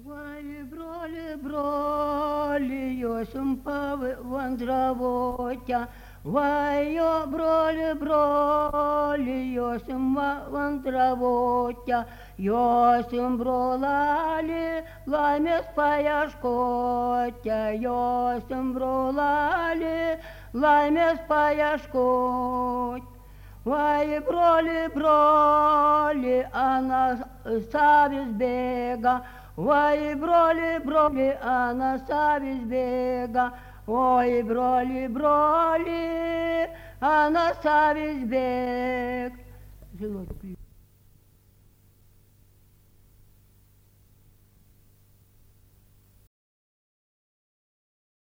Ой, бролі, йосим вандравотя. Ой, бролі, йосим вандравотя. Йосим бролалі, ламес паяшкотя. Йосим бролалі, ламес паяшкотя. Ой, бролі, а на савіс бега. Ой, бролі, а на савіс бега. Ой, бролі, а на савісь бег. Жилой кліп.